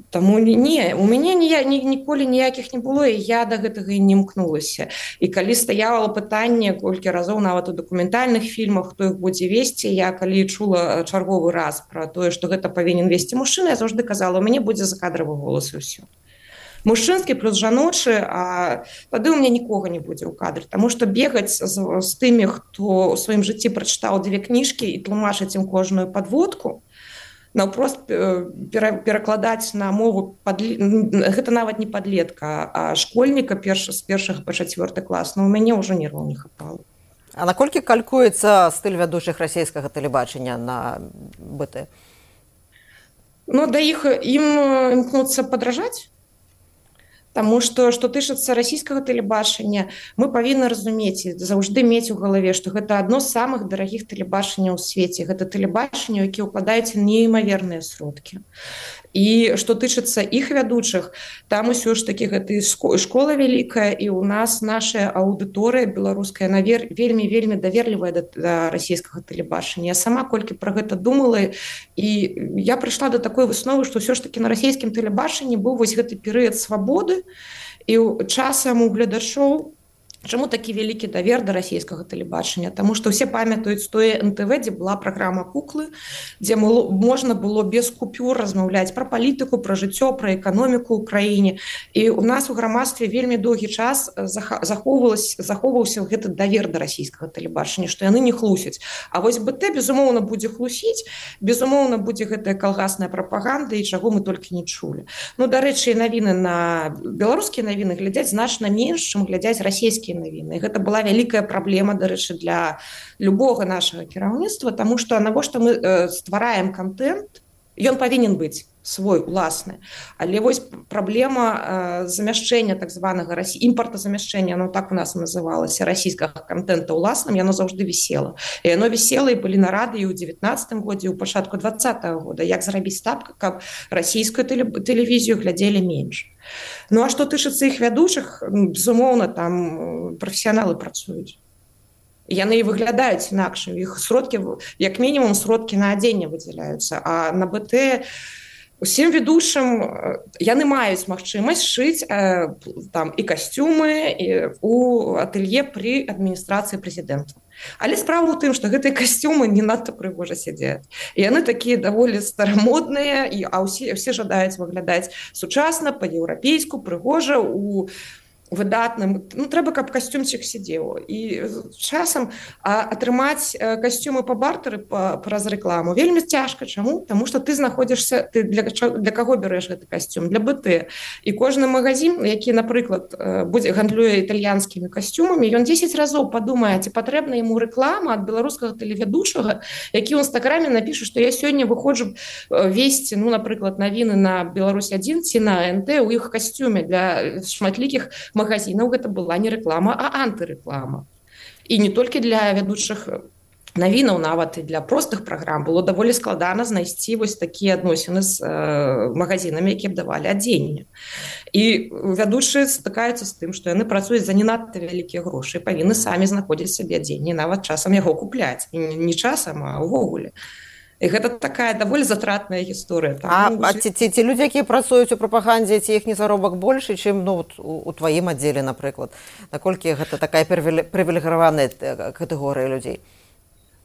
Таму не, у мяне ні, ні, ніколі ніякіх не было, і я да гэтага і не імкнулася. І калі стаяла пытанне колькі разоў нават у дакументальных фільмах, хто іх будзе весці, я калі чула чарговы раз пра тое, што гэта павінен весці мужчына, я заўжды казала, у мяне будзе закадравы голас і ўсё. Мужчынскі плюс жаночы, а тады ў мяне нікога не будзе ў кадры, таму што бегаць з, з тымі, хто ў сваім жыцці прачытаў дзве кніжкі і тлумачыць ім кожную падводку, наўпрост перакладаць на мову падле... гэта нават не падлетка, а школьніка перш... з першага па чацвёрты клас, но у мяне ўжо нерваў не хапала. А наколькі калькуецца стыль вядучых расійскага тэлебачання на. Ну, да іх ім імкнуцца падражаць. Таму што што тычыцца расійскага тэлебачання, мы павінны разумець і заўжды мець у галаве, што гэта адно з самых дарагіх тэлебачанняў у свеце. Гэта тэлебачанне, які ўкладаюць неймаверныя сродкі. І што тычыцца іх вядучых, там усё ж такі гэта школа вялікая, і ў нас наша аўдыторыя беларуская вельмі вельмі даверлівая да, да расійскага тэлебачання. Я сама колькі пра гэта думала, і я прыйшла да такой высновы, што ўсё ж такі на расійскім тэлебачанні быў вось гэты перыяд свабоды, і часам у гледачоў чаму такі вялікі давер да расійскага тэлебачання? Таму што ўсе памятаюць тое эн тэ вэ, дзе была праграма «Куклы», дзе можна было без купюр размаўляць пра палітыку, пра жыццё, пра эканоміку ў краіне. І ў нас у грамадстве вельмі доўгі час захоўваўся гэты давер да расійскага тэлебачання, што яны не хлусяць. А вось бэ тэ, безумоўна, будзе хлусіць, безумоўна, будзе гэтая калгасная прапаганда, і чаго мы толькі не чулі. Ну, дарэчы, навіны на беларускія навіны глядзяць значна менш, чым глядзяць расійскія навіны. І гэта была вялікая праблема, дарэчы, для любога нашага кіраўніцтва, таму што навошта мы э, ствараем контент, ён павінен быць свой уласны. Але вось праблема э, замяшчэння так званага расі... імпартазамяшчэння, оно так у нас называлася, расійскага контента уласным, яно заўжды вісела. І яно вісела і былі нарады і ў дзевятнаццатым годзе, і ў пачатку двадцатага года, як зрабіць так, каб расійскую тэле... тэлевізію глядзелі менш. Ну а што тычыцца іх вядучых, безумоўна, там прафесіяналы працуюць. Яны і выглядаюць інакш. Іх сродкі, як мінімум, сродкі на адзенне выдзяляюцца. А на бэ тэ усім ведучым яны маюць магчымасць шыць э, там і касцюмы і у атэлье пры адміністрацыі прэзідэнта. Але справа ў тым, што гэтыя касцюмы не надта прыгожа сядзяць. І яны такія даволі старамодныя, і, а ўсе, ўсе жадаюць выглядаць сучасна, па-еўрапейску, прыгожа, у выдатным. Ну, трэба, каб касцюмчык сидзеў. І часам а, атрымаць касцюмы па бартары па, праз рэкламу вельмі цяжка. Чаму? Таму што ты знаходзішся, ты для, для каго бярэш гэты касцюм? Для бэ тэ. І кожны магазин, які, напрыклад, будзе гандлюе італьянскімі касцюмамі, ён дзесяць разоў падумае, ці патрэбна яму рэклама ад беларускага тэлевядучага, які ў інстаграме напіша, што я сёння выходжу весці, ну, напрыклад, навіны на Беларусь адзін ці на эн тэ ў іх касцюме для шматлікіх магазинаў. Гэта была не рэклама, а антырэклама. І не толькі для вядучых навінаў, нават і для простых праграм было даволі складана знайсці вось такія адносіны з э, магазинамі, якія б давалі адзенне. І вядучыя стыкаюцца з тым, што яны працуюць за не надта вялікія грошы, павінны самі знаходзіць сабе адзенне, нават часам яго купляць. І не часам, а ўвогуле. І гэта такая даволі затратная гісторыя. А, а ці, ці, ці людзі, якія працуюць у прапагандзе, ці іхні заробак большы, чым ну, у, у тваім аддзеле, напрыклад? Наколькі гэта такая прывілегаваная катэгорыя людзей?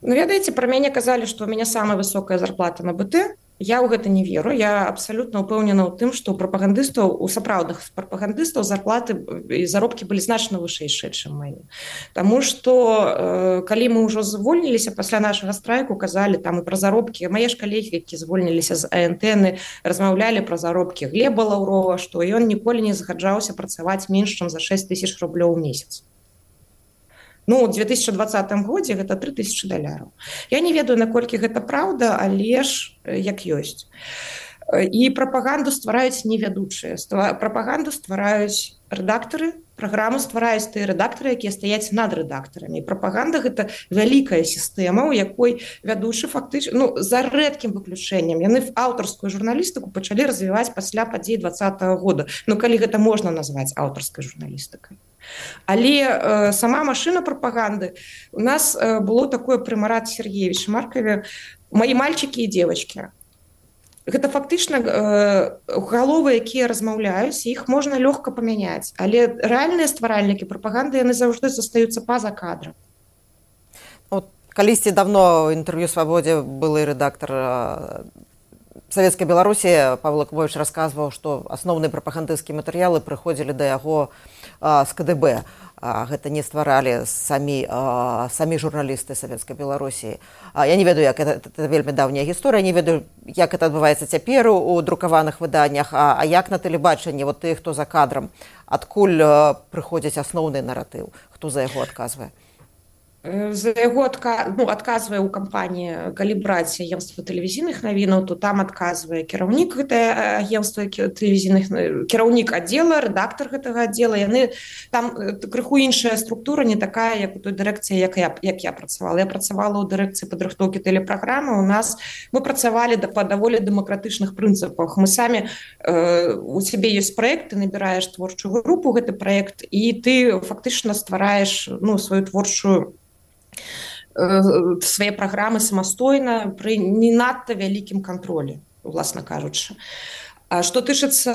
Ну, ведаеце, пра мяне казалі, што у мяне самая высокая зарплата на бэ тэ. Я ў гэта не веру. Я абсалютна ўпэўнена ў тым, што у прапагандыстаў, у сапраўдных прапагандыстаў зарплаты і заробкі былі значна вышэйшыя, чым мае. Таму што э, калі мы ўжо звольніліся пасля нашага страйку, казалі там і пра заробкі, мае ж калегі, які звольніліся з а эн тэ, размаўлялі пра заробкі Глеба Лаўрова, што ён ніколі не згаджаўся працаваць менш, чым за шэсць тысяч рублёў у месяц. Ну, у две тысячи двадцатым годзе гэта тры тысячы даляраў. Я не ведаю, наколькі гэта праўда, але ж як ёсць. І прапаганду ствараюць не вядучыя. Прапаганду ствараюць рэдактары, праграму ствараюць тыя рэдактары, якія стаяць над рэдактарамі. І прапаганда гэта вялікая сістэма, у якой вядучы фактычна, ну, за рэдкім выключэннем, яны аўтарскую журналістыку пачалі развіваць пасля падзей двадцатага года. Ну, калі гэта можна назваць аўтарскай журналістыкай. Але э, сама машына прапаганды, у нас э, было такое пры Марат Сергеевиче Маркове «Мои мальчики и девочки». Гэта фактычна э, галовы, якія размаўляюць, іх можна лёгка памяняць, але рэальныя стваральнікі прапаганды, яны заўжды застаюцца па-за кадрам. Вот, калісьці давно ў інтэрв'ю «Свабодзе» былы рэдактар э, Савецкай Беларусі Павел Якубович расказваў, што асноўныя прапагандысцкія матэрыялы прыходзілі да яго а, з ка дэ бэ. А, гэта не стваралі самі, а, самі журналісты Савецкай Беларусі. А, я не ведаю, як гэта, гэта вельмі даўняя гісторыя, не ведаю, як гэта адбываецца цяпер у друкаваных выданнях, а, а як на тэлебачанні, вот тых, хто за кадрам, адкуль а, прыходзіць асноўны наратыў, хто за яго адказвае? За яго адка... ну, адказвае ў кампаніі, калі браць агенцтва тэлевізійных навінаў, то там адказвае кіраўнік гэтае агенцтва тэлевізійных, кіраўнік аддзела, рэдактар гэтага аддзела. Яны там крыху іншая структура, не такая, як у той дырэкцыі, як я, як я працавала. Я працавала ў дырэкцыі падрыхтоўкі тэлепраграмы. У нас мы працавалі да, па даволі дэмакратычных прынцыпах. Мы самі э, у цябе ёсць праект, ты набіраеш творчую групу, гэты праект, і ты фактычна ствараеш ну, сваю творчую свае праграмы самастойна пры не надта вялікім кантролі, уласна кажучы. А што тычыцца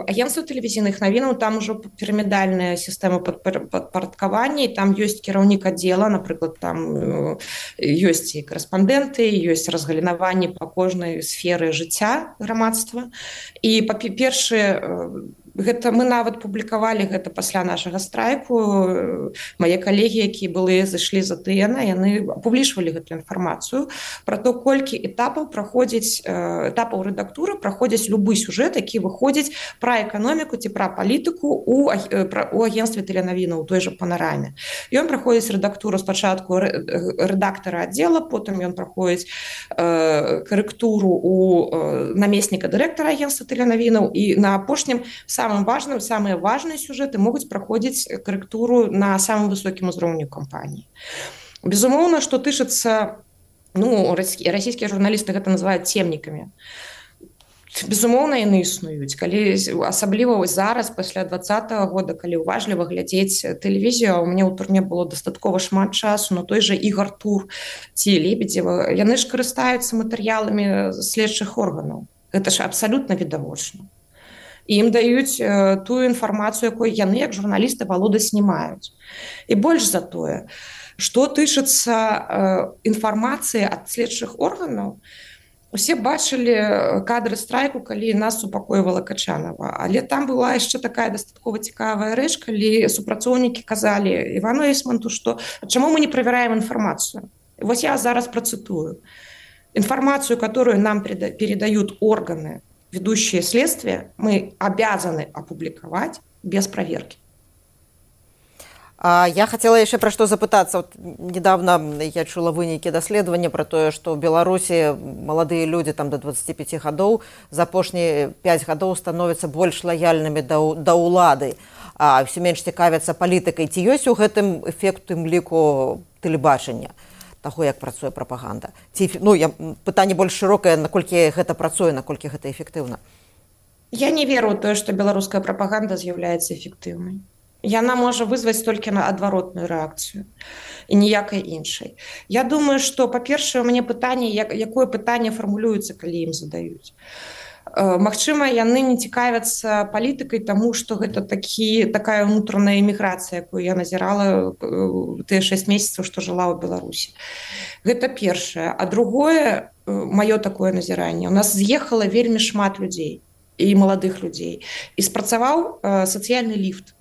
агенцтва тэлевізійных навінаў, там ужо пірамідальная сістэма падпарадкавання, і там ёсць кіраўнік аддзела, напрыклад, там ёсць і корэспандэнты, ёсць разгалінаванні па кожнай сферы жыцця грамадства. І па-першае, гэта мы нават публікавалі гэта пасля нашага страйку. Мае калегі, якія былі зайшлі з АТН, яны апублічвалі гэту інфармацыю пра то, колькі этапаў праходзіць, этапаў рэдактуры праходзіць любы сюжэт, які выходзіць пра эканоміку ці пра палітыку у, у агенцтве тэленавінаў, у той жа панараме. Ён праходзіць рэдактуру спачатку рэдактара аддзела, потым ён праходзіць э, карэктуру у э, намесніка дырэктара агенцтва тэленавінаў, і на апошнім самым важным, самыя важныя сюжэты могуць праходзіць карэктуру на самым высокім узроўню кампаніі. Безумоўна, што тычыцца, ну, расійскія журналісты гэта называюць цемнікамі. Безумоўна, яны існуюць. Калі, асабліва зараз, пасля двадцатага года, калі уважліва глядзець тэлевізію, у мяне ў турме было дастаткова шмат часу, но той жа Ігар Тур ці Лебедзева, яны ж карыстаюцца матэрыяламі следчых органаў. Гэта ж абсалютна відавочна. І ім даюць э, тую інфармацыю, якой яны, як журналісты, валодаць не маюць. І больш за тое, што тычыцца э, інфармацыі ад следчых органаў, усе бачылі кадры страйку, калі нас супакойвала Качанова. Але там была яшчэ такая дастаткова цікавая рэч, калі супрацоўнікі казалі Івану Эйсманту, што чаму мы не правяраем інфармацыю. І вось я зараз працытую. Информацию, которую нам передают органы, ведущие следствие, мы обязаны опубликовать без проверки. А я хотела еще про что запытаться. Вот недавно я чула вынікі даследавання про то, что в Беларуси молодые люди там до двадцати пяти годов за апошнія пять годов становятся больш лояльными до, до улады, а все меньше цікавяцца палітыкай. Ці ёсць у гэтым эфект тым ліку тэлебачання таго, як працуе прапаганда? Ці, ну, я, пытанне больш шырокае, наколькі гэта працуе, наколькі гэта эфектыўна? Я не веру ў тое, што беларуская прапаганда з'яўляецца эфектыўнай. Яна можа вызваць толькі на адваротную рэакцыю і ніякай іншай. Я думаю, што, па-першае, у мяне пытанне, як, якое пытанне фармулюецца, калі ім задаюць. Магчыма, яны не цікавяцца палітыкай, таму што гэта такі, такая ўнутраная эміграцыя, якую я назірала тыя шэсць месяцаў, што жыла ў Беларусі. Гэта першае. А другое, маё такое назіранне, у нас з'ехала вельмі шмат людзей і маладых людзей. І спрацаваў сацыяльны ліфт.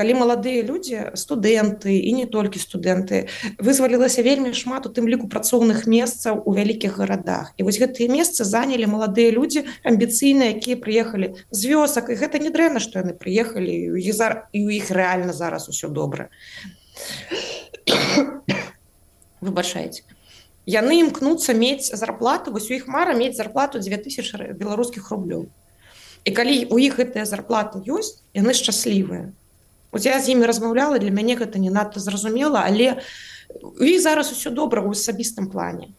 Калі маладыя людзі, студэнты і не толькі студэнты, вызвалілася вельмі шмат у тым ліку працоўных месцаў у вялікіх гарадах. І вось гэтыя месцы занялі маладыя людзі амбіцыйныя, якія прыехалі з вёсак. І гэта не дрэнна, што яны прыехалі, і ў іх рэальна зараз усё добра. Выбачайце. Яны імкнуцца мець зарплату, вось у іх мара мець зарплату дзве тысячы беларускіх рублёў. І калі у іх гэтая зарплата ёсць, яны шчаслівыя. От я з імі размаўляла, для мяне гэта не надта зразумела, але у іх зараз усё добра ў асабістым плане.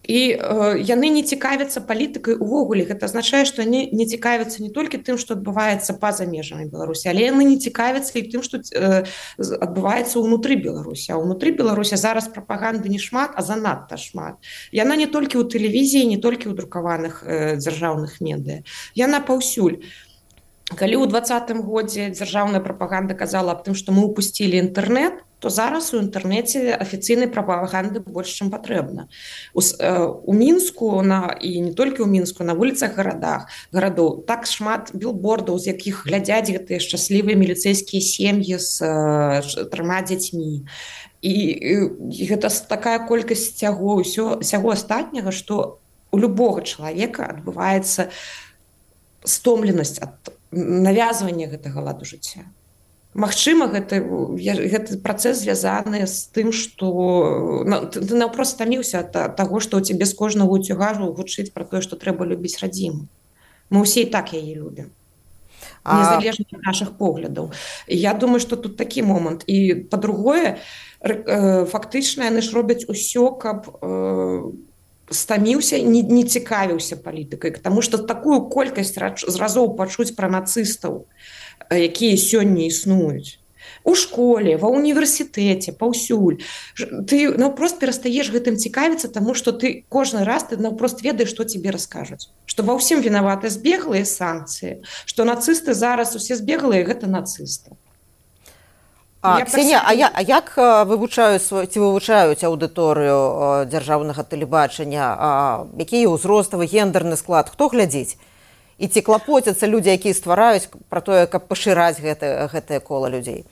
І э, яны не цікавяцца палітыкай увогуле. Гэта азначае, што яны не цікавяцца не толькі тым, што адбываецца па-за межамі Беларусі, але яны не цікавяцца і тым, што э, адбываецца ўнутры Беларусі. А ўнутры Беларусі зараз прапаганды не шмат, а занадта шмат. Яна не толькі ў тэлевізіі, не толькі ў друкаваных э, дзяржаўных медыя. Яна паўсюль. Калі ў двадцатым годзе дзяржаўная прапаганда казала аб тым, што мы ўпусцілі інтэрнэт, то зараз у інтэрнэце афіцыйнай прапаганды больш, чым патрэбна. У, у Мінску на, і не толькі ў Мінску, на вуліцах гарадах, гарадоў так шмат білбордаў, з якіх глядзяць гэтыя шчаслівыя міліцэйскія сем'і з э, трыма дзяцьмі. І, і гэта такая колькасць сяго, ўсё, сяго астатняга, што у любога чалавека адбываецца стомленасць ад навязвання гэтага ладу жыцця. Магчыма, гэта, гэты працэс звязаны з тым, што ты наўпрост стаміўся ад таго, што ў цябе з кожнага уцюгажу гучыць пра тое, што трэба любіць радзіму. Мы ўсе і так яе любім. Незалежна ад нашых поглядаў. Я думаю, што тут такі момант. І па-другое, фактычна яны ж робяць усё, каб стаміўся, не, не цікавіўся палітыкай, таму што такую колькасць разоў пачуць пра нацыстаў, якія сёння існуюць. У школе, ва універсітэце, паўсюль. Ты наўпрост перастаеш гэтым цікавіцца, таму што ты кожны раз ты наўпрост ведаеш, што тебе раскажуць. Што ва ўсім вінаваты збеглыя санкцыі, што нацысты зараз усе збеглыя, гэта нацысты. А, Ксенія, а, я, а як вывучаюць, ці вывучаюць аўдыторыю дзяржаўнага тэлебачання? Які ўзроставы, гендерны склад? Хто глядзіць? І ці клапоцяцца людзі, якія ствараюць пра тое, каб пашыраць гэта, гэтае кола людзей?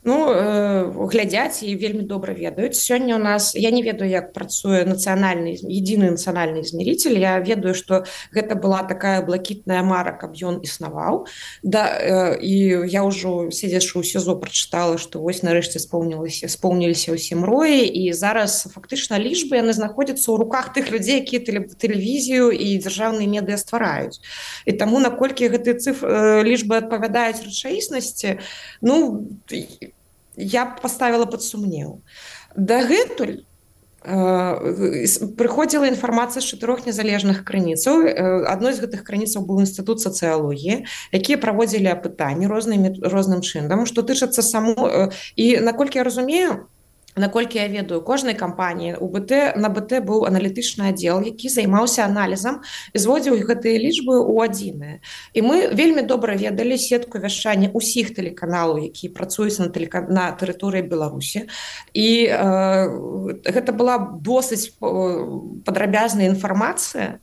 Ну, э, глядзяць і вельмі добра ведаюць. Сёння у нас, я не ведаю, як працуе нацыянальны, единый нацыянальны измеритель. Я ведаю, што гэта была такая блакітная мара, каб ён існаваў. Да, э, і я ўжо, седзячы ў СІЗО, прачытала, што вось нарэшце споўніліся, споўніліся ўсе мроі, і зараз фактычна лічбы яны знаходзяцца ў руках тых людзей, якія тэлевізію і дзяржаўныя медыа ствараюць. І таму, наколькі гэтыя цифры, лічбы адпавядаюць рэчаіснасці, ну, я поставила под сумнеў. Дагэтуль э, прыходзіла інфармацыя з чатырох незалежных крыніцаў. Адной з гэтых крыніцаў быў інстытут сацыялогіі, якія праводзілі апытанні рознымі, розным чынам, што тычацца само... І наколькі я разумею, наколькі я ведаю, кожнай кампаніі у БТ, на БТ быў аналітычны аддзел, які займаўся аналізам і зводзіў гэтыя лічбы ў адзіныя. І мы вельмі добра ведалі сетку вяшчання ўсіх тэлеканалаў, якія працуюць на, тэлека... на тэрыторыі Беларусі. І э, гэта была досыць падрабязная інфармацыя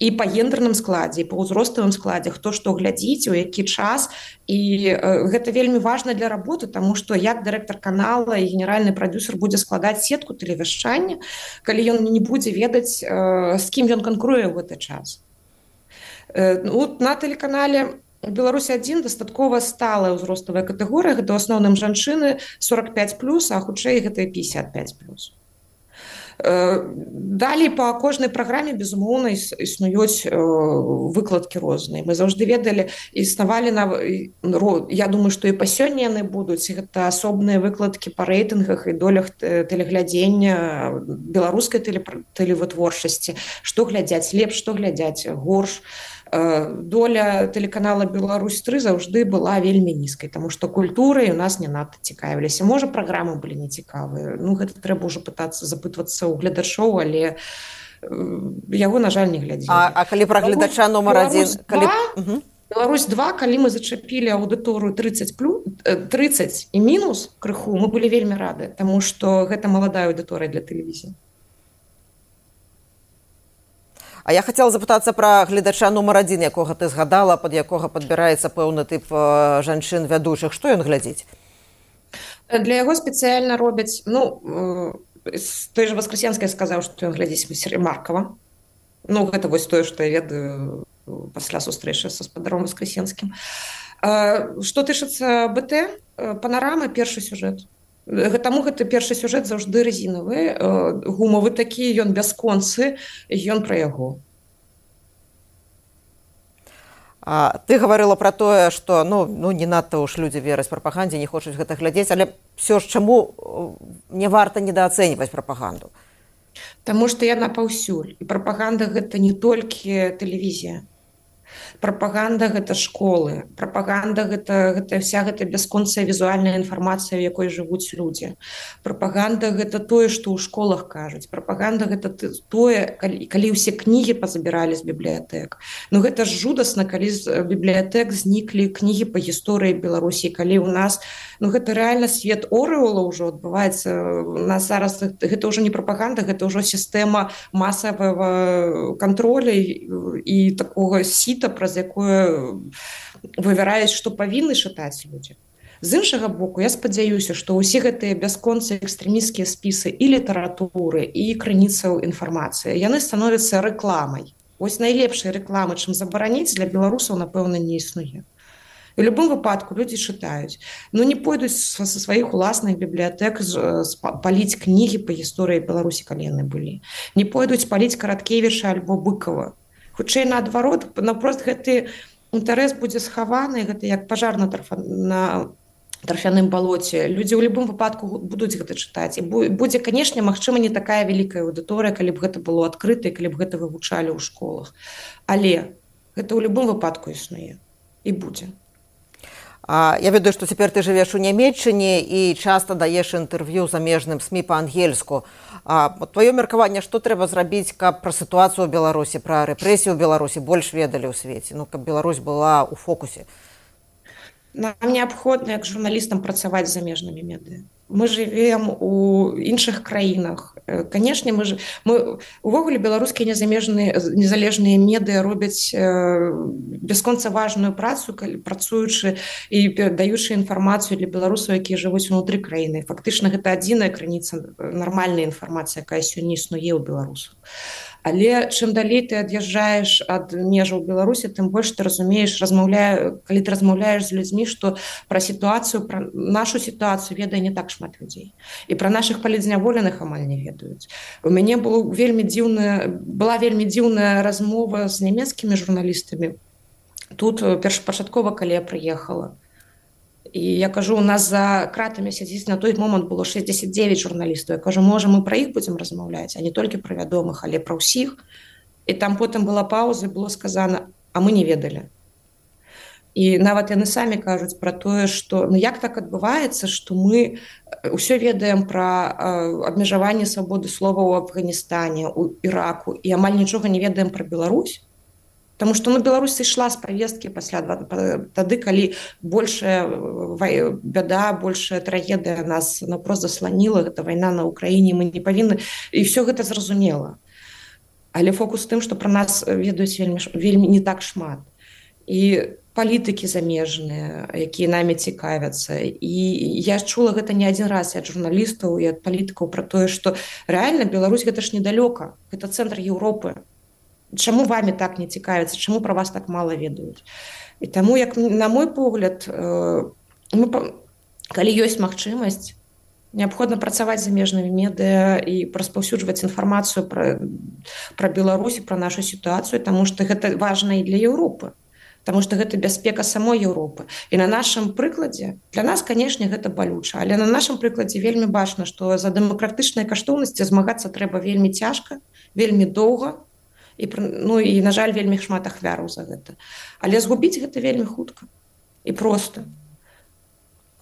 і па гендерным складзе, і па ўзроставым складзе, хто што глядзіць, у які час. І э, гэта вельмі важна для работы, таму што як дырэктар канала і генеральны прадюсер будзе складаць сетку тэлевяшчання, калі ён не будзе ведаць, э, з кім ён канкуруе ў гэты час. Э, ну, на тэлеканале Беларусь адзін дастаткова сталая ўзроставая катэгорыя, гэта ў асноўным жанчыны сорок пять плюс, а хутчэй гэта пятьдесят пять плюс. Далей па кожнай праграме, безумоўна, існуюць выкладкі розныя. Мы заўжды ведалі, існавалі, на... я думаю, што і па сёння яны будуць. Гэта асобныя выкладкі па рэйтынгах і долях тэлеглядзення беларускай тэлевытворчасці. Што глядзяць лепш, што глядзяць горш. Доля тэлеканала Беларусь тры заўжды была вельмі нізкай, таму што культурай у нас не надта цікавіліся. Можа, праграмы былі нецікавыя. Ну, гэта трэба ўжо пытацца запытвацца ў гледачоў, але яго, на жаль, не глядзелі. А, а калі пра гледача нумар адзін... Калі... Беларусь два, калі мы зачапілі аўдыторыю тридцать плюс, тридцать і мінус крыху, мы былі вельмі рады, таму што гэта маладая аўдыторыя для тэлевізіі. А я хацела запытацца пра гледача нумар адзін, якога ты згадала, пад якога падбіраецца пэўны тып жанчын вядучых. Што ён глядзіць? Для яго спецыяльна робяць, ну, той же Воскресенская сказаў, што ён глядзіць Маркова. Ну, гэта вось тое, што я ведаю пасля сустрэчы са спадаром Воскресенскім. Што тычыцца БТ, панарама, першы сюжэт. Таму гэты першы сюжэт заўжды рэзінавы, гумавы такі, ён бясконцы, ён пра яго. А, ты гаварыла пра тое, што ну, ну, не надта ўж людзі вераць прапагандзе, не хочуць гэта глядзець, але ўсё ж чаму не варта недаацэньваць прапаганду? Таму што яна паўсюль. І прапаганда гэта не толькі тэлевізія. Прапаганда гэта школы, прапаганда гэта, гэта вся гэта бясконцая візуальная інфармацыя, у якой жывуць людзі. Прапаганда гэта тое, што ў школах кажуць. Прапаганда гэта тое, калі, калі ўсе кнігі пазабіралі з бібліятэк. Ну гэта ж жудасна, калі з бібліятэк зніклі кнігі па гісторыі Беларусі, калі ў нас, ну гэта рэальна свет Оруэлла ўжо адбываецца. У нас зараз гэта ўжо не прапаганда, гэта ўжо сістэма масавага контроля і такога сіта, праз якое вывяраюць, што павінны чытаць людзі. З іншага боку, я спадзяюся, што ўсе гэтыя бясконцыя экстрэмісцкія спісы і літаратуры, і крыніцаў інфармацыі, яны становяцца рэкламай. Вось найлепшай рэкламы, чым забараніць, для беларусаў, напэўна, не існуе. У любым выпадку людзі чытаюць. Ну не пойдуць са сваіх уласных бібліятэк паліць кнігі па гісторыі Беларусі, калі яны былі. Не пойдуць паліць Караткевіча альбо Быкова. Хутчэй наадварот, напрост гэты інтарэс будзе схаваны, гэта як пажар на, тарфа, на тарфяным балоце. Людзі ў любым выпадку будуць гэта чытаць. І будзе, канешне, магчыма, не такая вялікая аўдыторыя, калі б гэта было адкрыта, калі б гэта вывучалі ў школах. Але гэта ў любым выпадку існуе і будзе. А, я ведаю, што цяпер ты жывеш у Нямецчыне і часта даеш інтэрв'ю замежным СМІ па-ангельску. Тваё меркаванне, што трэба зрабіць, каб пра сітуацыю ў Беларусі, пра рэпрэсію ў Беларусі больш ведалі ў свеце, ну, каб Беларусь была ў фокусе? Нам неабходна, як журналістам, працаваць з замежнымі медыя. Мы жывем у іншых краінах. Канешне, мы, ж... мы увогуле беларускія незалежныя медыя робяць бясконца важную працу, працуючы і перадаючы інфармацыю для беларусаў, якія жывуць унутры краіны. Фактычна, гэта адзіная крыніца нармальнай інфармацыі, якая сёння існуе ў беларусаў. Але чым далей ты ад'язджаеш ад межаў Беларусі, тым больш ты разумееш, размаўляю, калі ты размаўляеш з людзьмі, што пра сітуацыю, пра нашу сітуацыю ведае не так шмат людзей. І пра нашых палітзняволеных амаль не ведаюць. У мяне было вельмі дзіўная, была вельмі дзіўная размова з нямецкімі журналістамі. Тут першапачаткова, калі я прыехала. І я кажу, у нас за кратамі сядзіць на той момант было шэсцьдзесят дзевяць журналістаў. Я кажу, можа, мы пра іх будзем размаўляць, а не толькі пра вядомых, але пра ўсіх. І там потым была пауза, было сказана, а мы не ведалі. І нават яны самі кажуць пра тое, што ну як так адбываецца, што мы ўсё ведаем пра абмежаванне свабоды слова ў Афганістане, у Іраку, і амаль нічога не ведаем пра Беларусь. Таму што ну, Беларусь сышла з павесткі пасля тады, калі большая бяда, большая трагедыя нас наўпрост засланіла, гэта вайна на Ўкраіне, мы не павінны, і ўсё гэта зразумела. Але фокус тым, што пра нас ведаюць вельмі, вельмі не так шмат. І палітыкі замежныя, якія намі цікавяцца. І я чула гэта не адзін раз і ад журналістаў, і ад палітыкаў пра тое, што рэальна Беларусь гэта ж недалёка, гэта цэнтр Еўропы. Чаму вамі так не цікавяцца, чаму пра вас так мала ведаюць. І таму, як на мой погляд, мы, калі ёсць магчымасць, неабходна працаваць з замежнымі медыя і распаўсюджваць інфармацыю пра, пра Беларусь, пра нашу сітуацыю, таму што гэта важна і для Еўропы. Таму што гэта бяспека самой Еўропы. І на нашым прыкладзе, для нас, канешне, гэта балюча, але на нашым прыкладзе вельмі бачна, што за дэмакратычныя каштоўнасці змагацца трэба вельмі цяжка, вельмі доўга, і, ну, і, на жаль, вельмі шмат ахвяраў за гэта. Але згубіць гэта вельмі хутка і проста.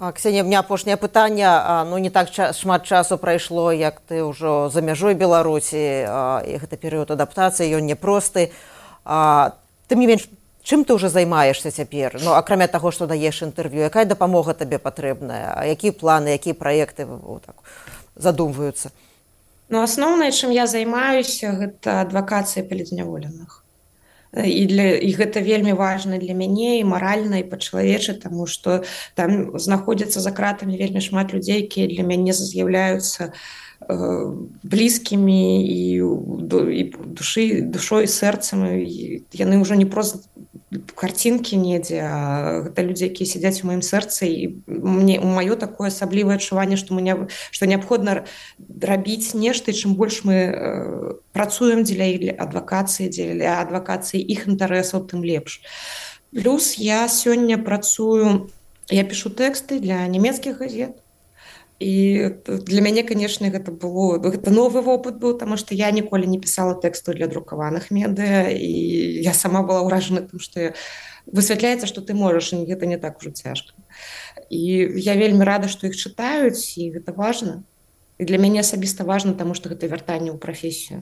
Ксенія, мне апошняе пытанне. Ну, не так ча- шмат часу прайшло, як ты ўжо за мяжой Беларусі, і гэта перыяд адаптацыі, ён непросты. Тым не менш, чым ты ўжо займаешся цяпер? Ну, акрамя таго, што даеш інтэрв'ю, якая дапамога табе патрэбная? А якія планы, якія праекты так, задумваюцца? Ну, асноўнае, чым я займаюся, гэта адвакацыя палітзняволеных. І, для, і гэта вельмі важна для мяне і маральна, і па-чалавечы, таму што там знаходзяцца за кратамі вельмі шмат людзей, якія для мяне з'яўляюцца э, блізкімі і, і душы, душой, сэрцам. І яны ўжо не проста карцінкі недзе, а гэта людзі, якія сядзяць у маім сэрцы, і мне у маё такое асаблівае адчуванне, што мы не, што неабходна рабіць нешта, і чым больш мы э, працуем дзеля адвакацыі, дзеля адвакацыі іх інтарэсаў, тым лепш. Плюс я сёння працую, я пішу тэксты для нямецкіх газет. І для мяне, канешне, гэта было, гэта новы вопыт быў, таму што я ніколі не пісала тэксту для друкаваных медыя, і я сама была ўражана тым, што высвятляецца, што ты можаш, і гэта не так ужо цяжка. І я вельмі рада, што іх чытаюць, і гэта важна. І для мяне асабіста важна, таму што гэта вяртанне ў прафесію.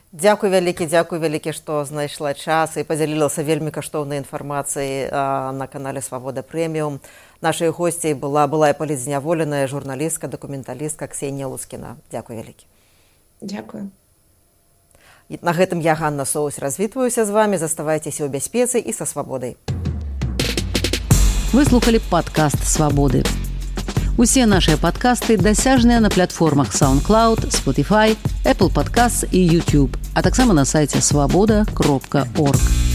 Дзякуй вялікі, дзякуй вялікі, што знайшла час і падзялілася вельмі каштоўнай інфармацыяй на канале «Свабода Прэміум». Нашай госцяй была былая палітзняволеная журналістка, дакументалістка Ксенія Лускіна. Дзякуй вялікі. Дзякуй. І на гэтым я, Ганна Соусь, развітваюся з вамі. Заставайцеся ў бяспецы і са свабодай. Вы слухали падкаст «Свабоды». Усе нашыя падкасты дасяжныя на платформах SoundCloud, Spotify, Apple Podcasts і YouTube, а таксама на сайце свабода кропка орг.